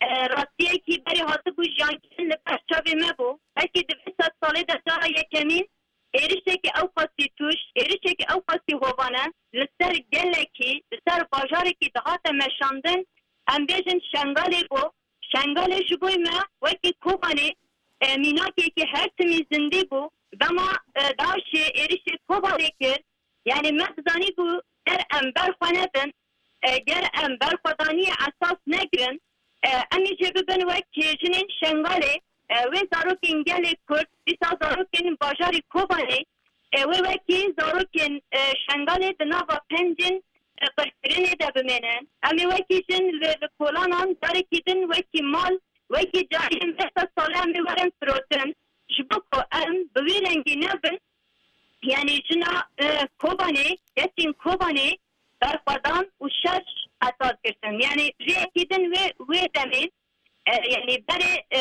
e, rastiyekî berê hatibû jiyankirin li ber çavê me bû. Belkî di vê sed salê de cara yekemîn êrişekî ew qasî tûj, êrişekî ew qasî hovane li ser gelekî, li ser bajarekî dihate meşandin, em bêjin Şengalê bû. Şengalê ji bo me wekî Kobanê, e, mînakekî her timî zindî bû. Dema, e, DAIŞê êrişê Kobanê kir, yani me dizanîbû ger em ber xwe nedin, e, ger em berxwedaniyê esas negirin, e, em ê jê bibin wek jinên Şengalê, e, wê zarokên gelê Kurd, dîsa zarokên bajarê Kobanê, e, wê wekî zarokên, e, Şengalê di nava pencên, e, qirkirinê de bimênin. Em ê wekî jin li, li kolanan carekî din wekî mal, wekî cariyên vê sed sale em ê werin firotin. Ji bo ku em bi wî rengî nebin, yani jina, e, Kobanê, kesên Kobanê berxwedan û şer esas girtin. Yani rêyekî din wê, wê demê, e, yani berê, e,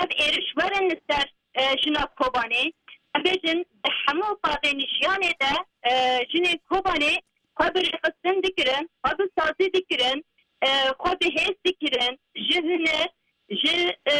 ev êriş werin li ser, e, jina Kobanê. Em bêjin di hemû qadên jiyanê de, e, jinên Kobanê xwe bi rêxistin dikirin, xwe bi sazî dikirin, e, xwe bi hêz dikirin, ji huner, ji, e,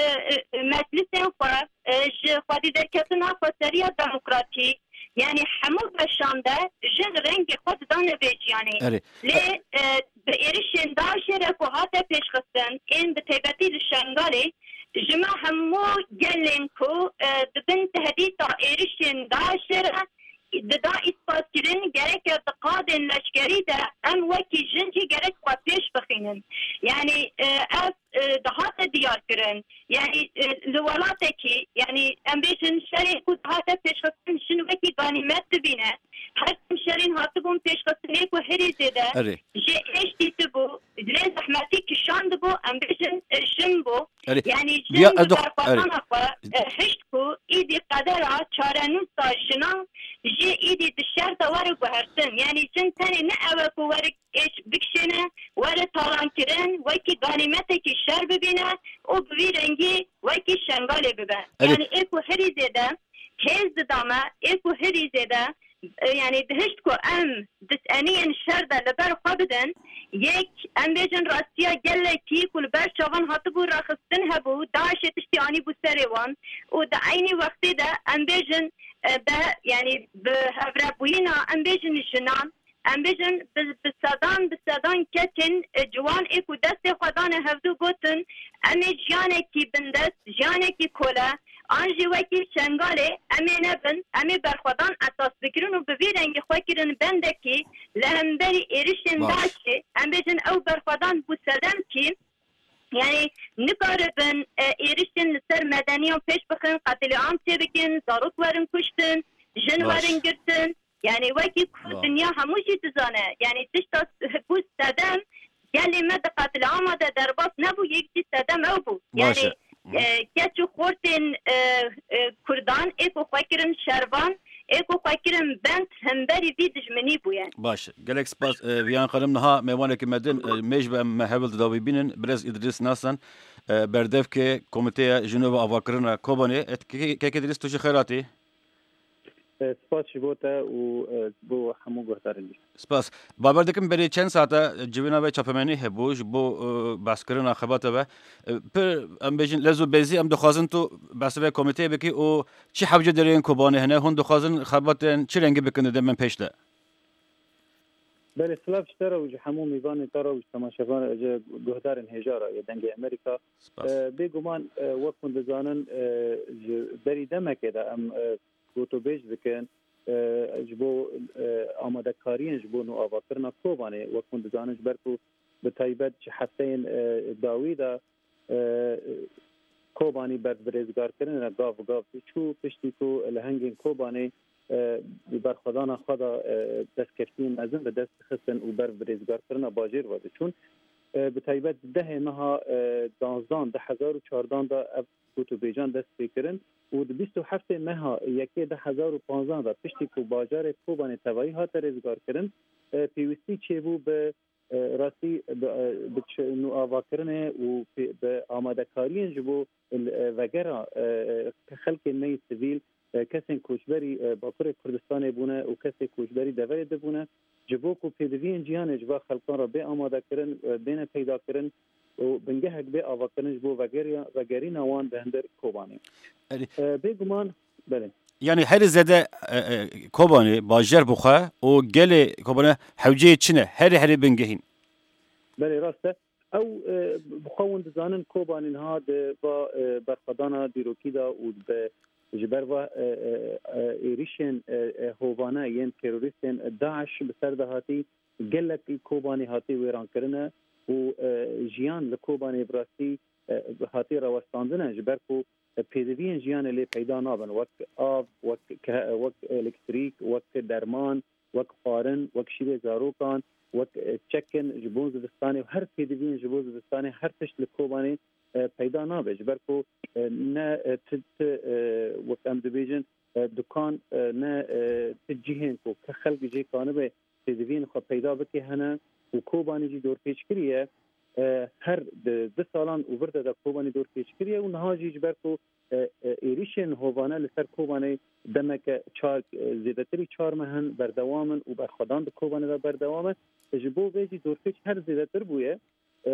e, meclisên xwe, e, ji xwedî derketina xweseriya demokratîk, yani hemû beşan de jin rengê xwe didane vê jiyanê. Erê. Lê, e, bi êrişên DAIŞê re ku hate pêşxistin, ên bi taybetî li Şengalê, ji me hemû gelên ku, e, di bin tehdîta êrişên DAIŞê re dida îspat kirin, gereke di qadên leşkerî de em wekî jin jî gerek xwe pêş bixînin. Yani, e, ev, e, dihate diyar kirin. Yani, e, li welatekî, yani em bêjin şerê ku dihate pêşxistin jin wekî ganîmet dibîne. Her tim şerên hatibûn pêşxistinê ku herî zêde Erê. jê êş dîtibû, lê zehmetî kişandibû, em bêjin, e, jin bû. Erê. Yani jin Diya, bi ez dox-, berxwedana erê. xwe, e, hişt ku îdî qedera çarenûsa jinan jê îdî di şer de were guhertin. Yani jin tenê ne ew e ku were êş bikişêne, were talankirin, wekî ganîmetekî şer bibîne û bi vî rengî wekî Şengalê bibe. Erê. Yani ê ku herî zêde hêz dida me, ê ku herî zêde, e, yani dihişt ku em di eniyên şer de li ber xwe bidin, yek em bêjin rastiya gelekî ku li ber çavan hatibû rexistin hebû, DAIŞê tiştî anîbû serê wan û di eynî wextê de em bêjin, e, be, yani bi hevrebûyîna em bêjin jinan, em bêjin bi, bi sedan, bi sedan kesên, e, ciwan ê ku destê xwe dane hevdû gotin, em ê jiyanekî bindest, jiyanekî kole, an jî wekî Şengalê em ê nebin, em ê berxwedan esas bigirin û bi vî rengî xwe kirin bendekî li hemberî êrişên Baş. DAIŞê, em bêjin ew berxwedan bû sedemkî, Yani nikaribin e, êrişên li ser medeniyan pêş bixin, qetilîam çêbikin, zarok werin kuştin, jin Baş. werin girtin. Yani wekî ku Baş. dinya hemû jî dizane. Yani tişta s- ku sedem gelê me di qetilîama de derbas nebû, yek jî sedem ew bû. Baş Yani e. e, keç û xortên e, e, Kurdan ê ku xwe kirin şervan, ê ku xwe kirin bend hemberî vî dijminî bûye. Baş. Gelek spas. E, Viyan Xanim niha mêvanekî me din, e, mêj be em me hewl dida wî bînin. Birêz Îdrîs Nasan, e, berdevkê Komîteya Jinova Avakirina Kobanê. E, ke-, kek Îdrîs, tu jî xêr hatî. E, spas ji bo te û, e, bo hemû guhdarên dî. Spas. Bawer dikim berê çend saete civîna ve çapemenî hebû ji bo, e, behskirina xebata ve. E, pir, em bêjin, lez û bezî em dixwazin tu behsê ve komîteyê bikî û çi hewce derên Kobanê hene, hûn dixwazin xebatên çi rengî bikin di demên pêş de? Belê, silav ji te re û ji hemû mêvanên te re û ji temaşevan, ji guhdarên hêja re yê Dengê Amerîka. Spas. E, bêguman, e, wek hûn dizanin, e, ji berî demekê de em, e, gotûbêj dikin, e, ji bo, e, amadekariyên ji bo nûavakirina Kobanê, wek hûn dizanin, ji ber ku bi taybet ji hefteyên, e, dawî de, e, Kobanî ber bi rêzgarkirinê re gav bi gav diçû, piştî ku lehengên Kobanê, e, bi berxwedana xwe de, e, destkeftiyên mezin bi dest dixistin û ber bi rêzgarkirina bajêr ve diçûn. E, bi taybet di dehê meha, e, danzdan, du hezar û çardan de ev gotûbêjan dest pê kirin û di bîst û heftê meha yekê du hezar û panzdan de piştî ku bajarê Kobanê tevayî hate rêzgarkirin, e, pêwîstî çêbû bi, e, rastî bi, e, bi çi-, nûavakirinê û pê-, bi amadekariyên ji bo, e, vegera, e, xelkên me yê sivîl, e, kesên koçberî, e, Bakurê Kurdistanê bûne û kesê koçberî deverê de bûne, ji bo ku pêdiviyên cîhanê ji va xelkan re bê amadekirin, e, bêne peydakirin û bingehek bê avakirin ji bo vegeriya-, vegerîna wan di hundir Kobanê. Erê. E, bêguman, belê. Yani herî zêde, e, e, Kobanê bajer bixwe û gelê Kobanê hewceyê çi ne? Herî herî bingehîn. Belê, rast e. Ew, e, bi xwe hûn dizanin Kobanê niha di va, e, berxwedana dîrokî de û bi, ji ber va, e, e, e, êrişên, e, e, hovane yên terorîstên DAIŞ bi ser de hatî, gelek Kobanê hatî wêrankirine û, e, jiyan li Kobanê bi rastî, e, hatî rawestandine, ji ber ku pêdiviyên jiyanê lê peyda nabin, wek av, wek ke-, wek elektrîk, wek derman, wek xwarin, wek şîrê zarokan, wek, e, çekin ji bo zivistanê û her pêdiviyên ji bo zivistanê, her tişt li Kobanê, e, peyda nabe. Ji ber ku, e, ne, e, ti, ti, e, wek em dibêjin, e, dukan, e, ne, e, ti cihên ku ke xelk jê kanibe pêdiviyên xwe peyda bike hene û Kobanê jî dorpêç kiriye. E, her di du salan û vir de de Kobanê dorpêç kiriye û niha jî ji ber ku, e, e, êrişên hovane li ser Kobanê demeke çar, e, zêdetirî çar meh in, berdewam in û berxwedan di Kobanê de berdewam e. Ji bo vê jî dorpêç her zêdetir bûye. E,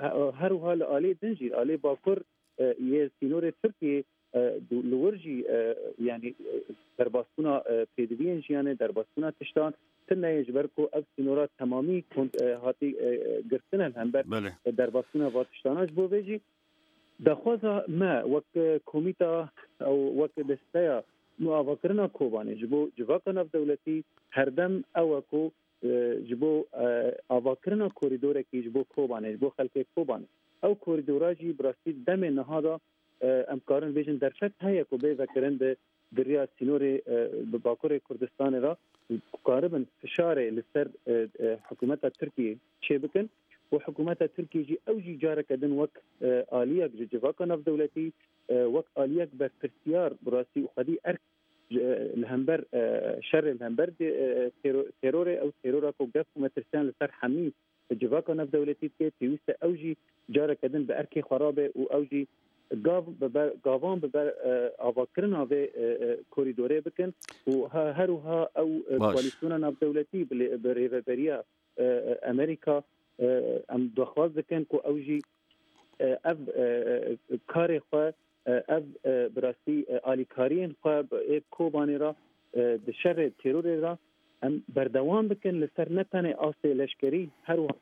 he-, her wiha li aliyê din jî, aliyê bakur, e, yê sînorê Tirkiyê, e, du-, li wir jî, e, yani, e, derbasbûna, e, pêdiviyên jiyanê, derbasbûna tiştan tune ye, ji ber ku ev sînora temamî kont-, e, hatî, e, e, girtine li hember, Belê. e, derbasbûna va tiştana. Ji bo vê jî daxwaza me wek, e, komîta ew wek desteya nûavakirina Kobanê ji bo civaka navdewletî herdem ew e ku, e, ji bo, e, avakirina korîdorekî ji bo Kobanê, ji bo xelkê Kobanê. Ew korîdora jî bi rastî demê niha de, e, em karin bêjin derfet heye ku bê vekirin di, di riya sînorê, e, bi Bakurê Kurdistanê re, ku karibin fişarê li ser, e, e, hikûmeta Tirkiyê çêbikin û hikûmeta Tirkiyê jî ew jî careke din wek, e, aliyek ji civaka navdewletî, e, wek aliyek berpirsiyar bi rastî û xwedî erk ji, e, li hember, e, şerê li hember de, e, tero-, terorê, ew terora ku gef û metirsiyan li ser hemî civaka navdewletî dike, pêwîst e ew jî careke din bi erkê xwe rabe û ew jî gav bi ber, gavan bi ber, e, avakirina vê, e, e, korîdorê bikin û ha, her wiha ew, e, Baş. koalîsyona navdewletî bi lê, bi rêveberiya, e, e, Amerîka, e, em daxwaz dikin ku ew jî, e, ev, e, e, karê xwe, e, ev, e, bi rastî, e, alîkariyên xwe bi ê Kobanê re, e, di şerê terorê re em berdewam bikin li ser ne tenê astê leşkerî, her wiha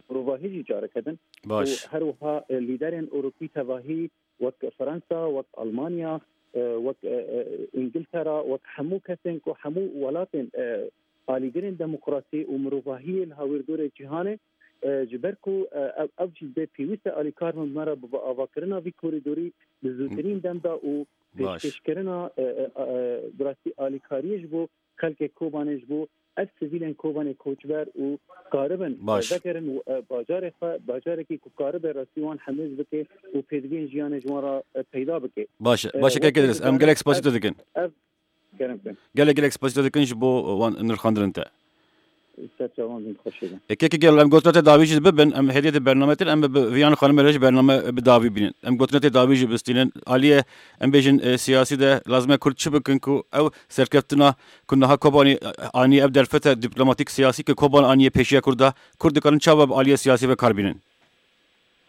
mirovahî jî careke din Baş. û her wiha, e, lîderên Ewropî tevahî wek Fransa, wek Almanya, e, wek, e, e, Îngiltera, wek hemû kesên ku hemû welatên, e, alîgirên demokrasî û mirovahiyê li hawîrdorê cîhanê, e, ji ber ku, e, ev, ev jî dê pêwîst e alîkar min me re bi avakirina vî korîdorî bi zûtirîn dem da û Baş. pêşkêşkirina, e, e, e, bi rastî alîkariyê ji bo xelkê Kobanê, ji bo ev sivîlên Kobanê koçber û karibin, Baş. e, vegerin û, e, bajarê xwe, bajarekî ku karibe rastî wan hemêz bike û pêdiviyên jiyanê ji wan re, e, peyda bike. Baş e, E, baş e, wek kekê Diris, em hêzan gelek spasî ev, te dikin. ev, kerem kin. Gelek gelek spasî te dikin ji bo wan nirxandinên te. Ser çavan bin, xweş bin. E, kekê gelo, em gotina te dawî jî bibin, em hêdiyê di bername tir, em bi Viyan xanimê re jî bername bi dawî bînin. Em gotina te dawî jî bistînin. Aliyê, em bêjin, e, siyasî de lazim e Kurd çi bikin ku ew serkeftina ku niha Kobanî, e, anî ev derfete diplomatîk siyasî ku Koban anîye pêşiya Kurda, Kurd dikarin çawa bi aliyê siyasî ve kar bînin?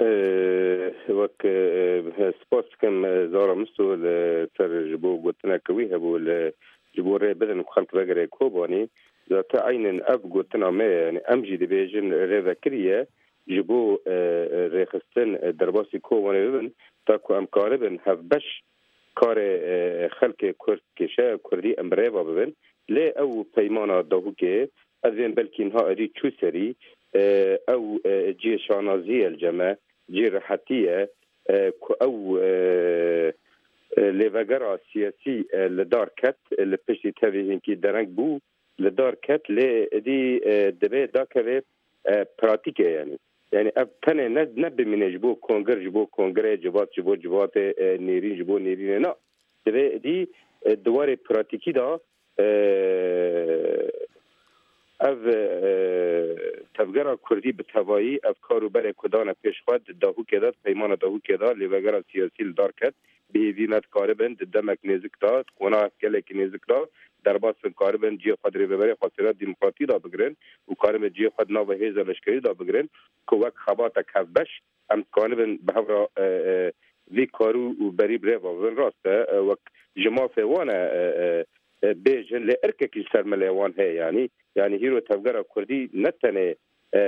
Ee, wek, e, spas dikim, e, Zara Misto li ser ji bo gotineke wî hebû li ji bo rê bidin ku xelk vegere Kobanî. Zaten eynin ev gotina me ye. Yani em jî dibêjin rê vekirî ye ji bo, e, e, rêxistin, e, derbasî Kobanê bibin, ta ku em karibin hevbeş karê, e, xelkê Kurd, kêşeya Kurdî em bi rê ve bibin. Lê ew peymana Dahûkê, ez ên belkî niha êdî çû serî, e, ew, e, cihê şanazî ye li cem me, cihê rehetî ye, e, ku ew, e, e, lêvegera siyasî, e, li dar ket, e, li piştî tevî hinkî dereng bû, li dar ket, lê êdî, e, divê dakeve, e, pratîk e yani. Yani ev tenê ne, ne bimîne ji bo kongir, ji bo kongirê, civat ji bo civatê, e, nêrîn ji bo nêrînê, na. Divê êdî, e, di warê pratîkî de, e, ev, e, tevgera Kurdî bi tevayî ev kar û berê ku dane pêş xwe di Dahûkê de, di peymana Dahûkê de, lêvegera siyasî li dar ket, bi hêvî me dikaribin di demek nêzik de, di qonaxek gelekî nêzik de derbas bin, karibin cihê xwe di rêveberê xwesêra demokratî de bigirin û karibin cihê xwe di nava hêza leşkerî de bigirin ku wek xebatek hevbeş em dikanibin bi hev re, e, e, vî karû û berî bi rê ve bibin. Rast e, e, wek ji mafê wan e, e, e, e, bêjin, lê irkekî ji ser milê wan heye yanî. Yanî hîro tevgera Kurdî ne tenê, e,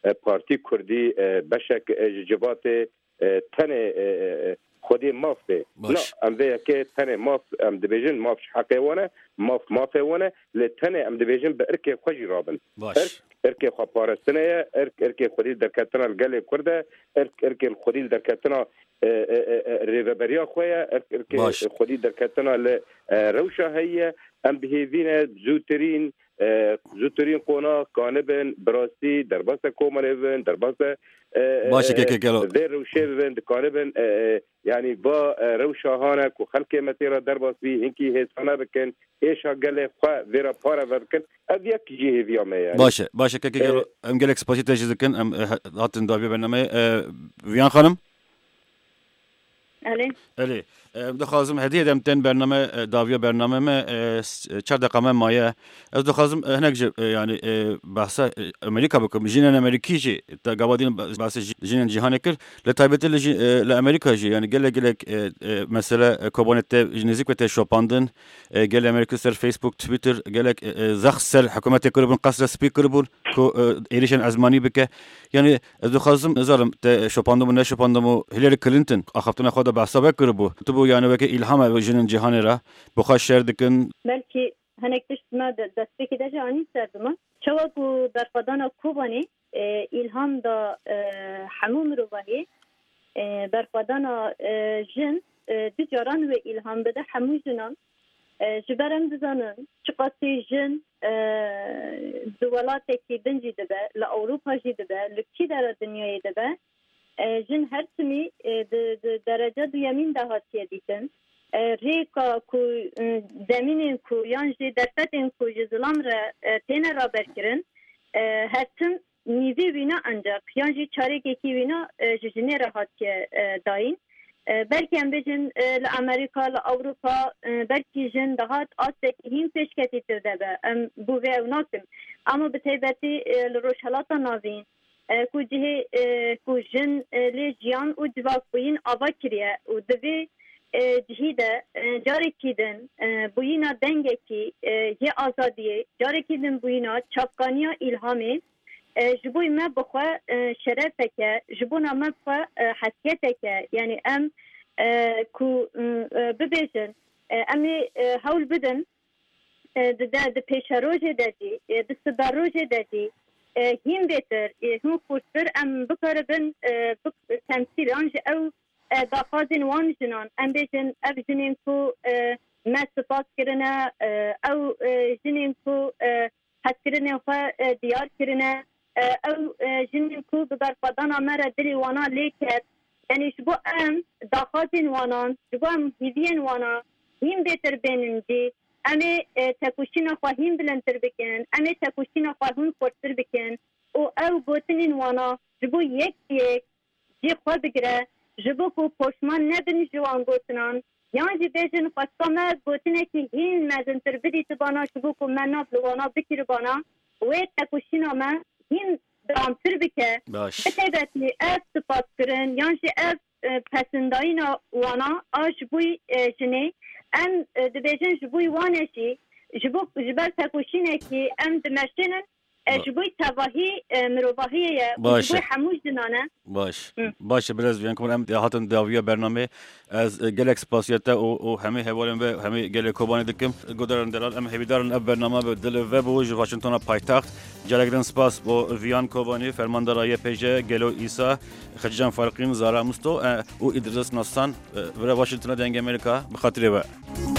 e, partî Kurdî, e, beşek, e, ji civatê, e, tenê, e, e, e, xwediyê maf bê. Baş. Na, em vê yekê tenê maf, em dibêjin maf ji heqê wan e, maf mafê wan e, lê tenê em dibêjin bi irkê xwe jî rabin. Baş. Irk, irkê xwe parestine ye, irk, irkê xwedî derketina li gelê Kurd e, irk, irkê xwedî derketina, e, e, e, e, rêveberiya xwe ye, irk, irkê Baş. xwedî derketina li, e, rewşa heye. Em bi hêvî ne zûtirîn, e, zûtirîn qonax kanibin, bi rastî derbasa komelê bibin, derbasa, e, e, Baş e, e, kekê gelo. vê rewşê bibin, dikanibin, e, e, yani va, e, rewşa hane ku xelkê me tê re derbas bî, hinkî hêsane bikin, êşa gelê xwe vê re pareve bikin. Ev yek jî hêviya me yani. Baş e, baş e kekê E, gelo. Em gelek spasî te jî dikin. Em, e, he-, hatin daviya bernameyê. E, Viyan xanim? Elê. Elê. Em dixwazim hediyê dem tên bername, e, daviya bername me, e, s-, e, çar deqa me maye. Ez dixwazim, e, hinek ji, e, yani, e, behsa, e, Amerîka bikim. Jinên Amerîkî jî, te gava din be-, behsa ji-, jinên cîhanê kir. Li taybetî li jî, e, li Amerîka jî, yani gelek, gelek, e, e, mesele, e, Kobanê te ji nêzîk ve te şopandin. E, gelê Amerîkî ser Facebook, Twitter, gelek, e, e, zext ser hikûmetê kiribûn, Qesra Spî kiribûn. ku, e, êrîşên ezmanî bike. Yanî ez dixwazim, nizanim, te şopandibû, neşopandibû, Hillary Clinton axaftina xwe de behsa we kiribû. Gotibû, yanî weke îlham e jinên cîhanê re, bi xwe şer dikin. Belkî hinek tişt me de destpêkê de jî anî ser bi me. Çawa ku berxwedana Kobanê, e, îlham da, e, hemû mirovahî, e, berxwedana, e, jin, e, du caran wê îlham bide hemû jinan. E, ji ber em dizanin çiqasî jin, e, di welatekî din jî dibe, li Ewropa jî dibe, li kî dera dinyayê dibe, e, jin her timî, e, di, di derece duyemîn de hatiye dîtin. E, rêka ku, e, zemînên ku yan jî derfetên ku ji zilam re, e, têne raberkirin, e, her tim nîvê wîna enceq yan jî çarekekî wîna, e, ji jinê re hatiye, e, dayîn. E, belkî em bêjin, e, li Amerîka, li Ewropa, e, belkî jin dihat astekî hîn pêşketîtir de be. Em bo vê ew nakin. Ama bi taybetî, e, li Rojhelata Navîn, e, ku cihê, e, ku jin, e, lê jiyan û civakbûyîn ava kiriye û di vê, e, cihî de, e, carekî din, e, bûyîna dengekî, e, yê azadiyê, carekî din bûyîna çavkaniya îlhamê, e, ji bo me bi xwe, e, şerefek e, ji bona me bi xwe, e, hesiyetek e. Yanî em, e, ku, m, e, bibêjin, e, em ê, e, hewl bidin, e, di de, di pêşerojê de jî, e, di siberojê de jî, e, hîn bêtir, e, hîn xurttir em bikaribin, e, bik-, temsîl yan jî ew, e, daxwazên wan jinan, em bêjin ev jinên ku, e, me spas kirine, e, ew, e, jinên ku, e, hezkirinên xwe, e, diyar kirine, e, ew, e, jinên ku bi berxwedana me re dilê wana lê ket. Yanî ji bo em daxwazên wanan, ji bo em hîviyên wana hîn bêtir bênin cî, em ê, e, tekoşîna xwe hîn bilindtir bikin, em ê tekoşîna xwe hîn xurttir bikin û ew gotinên wana ji bo yek yek cî xwe bigire, ji bo ku poşman nebin ji wan gotinan, yan jî bêjin xwesta me gotinekî hîn mezintir bidîtibana, ji bo ku me nav li wana bikiribana, wê tekoşîna me hîn dewamtir bike. Baş. Bi taybetî ev spas kirin, yan jî ev, e, pesindayîna wana a ji bo, e, jinê, em, e, dibêjin ji bo wan e jî, ji bo, ji ber tekoşînekî em dimeşînin, e, Ba- ji bo tevahî, e, mirovahiyê ye û Baş ji bo e. Hemû jinan e. Baş. Hı. Baş e, birêz Viyan Koban, em hatin dawiya bernamê. Ez, e, gelek spasiya te û, û hemî hevalên ve, hemî gelê Kobanê dikim. Guhdarên delal, em hêvîdarin ev bername bi dil ve bû ji Washingtona paytaxt. Gelek din spas bo Viyan Kovanî, fermandara Y P J, Gelo Îsa, Xecîcan Farqîn, Zara Musto, e, û Îdris Nastan, e, vira Washingtona Dengê Amerîka, bi xatirê we.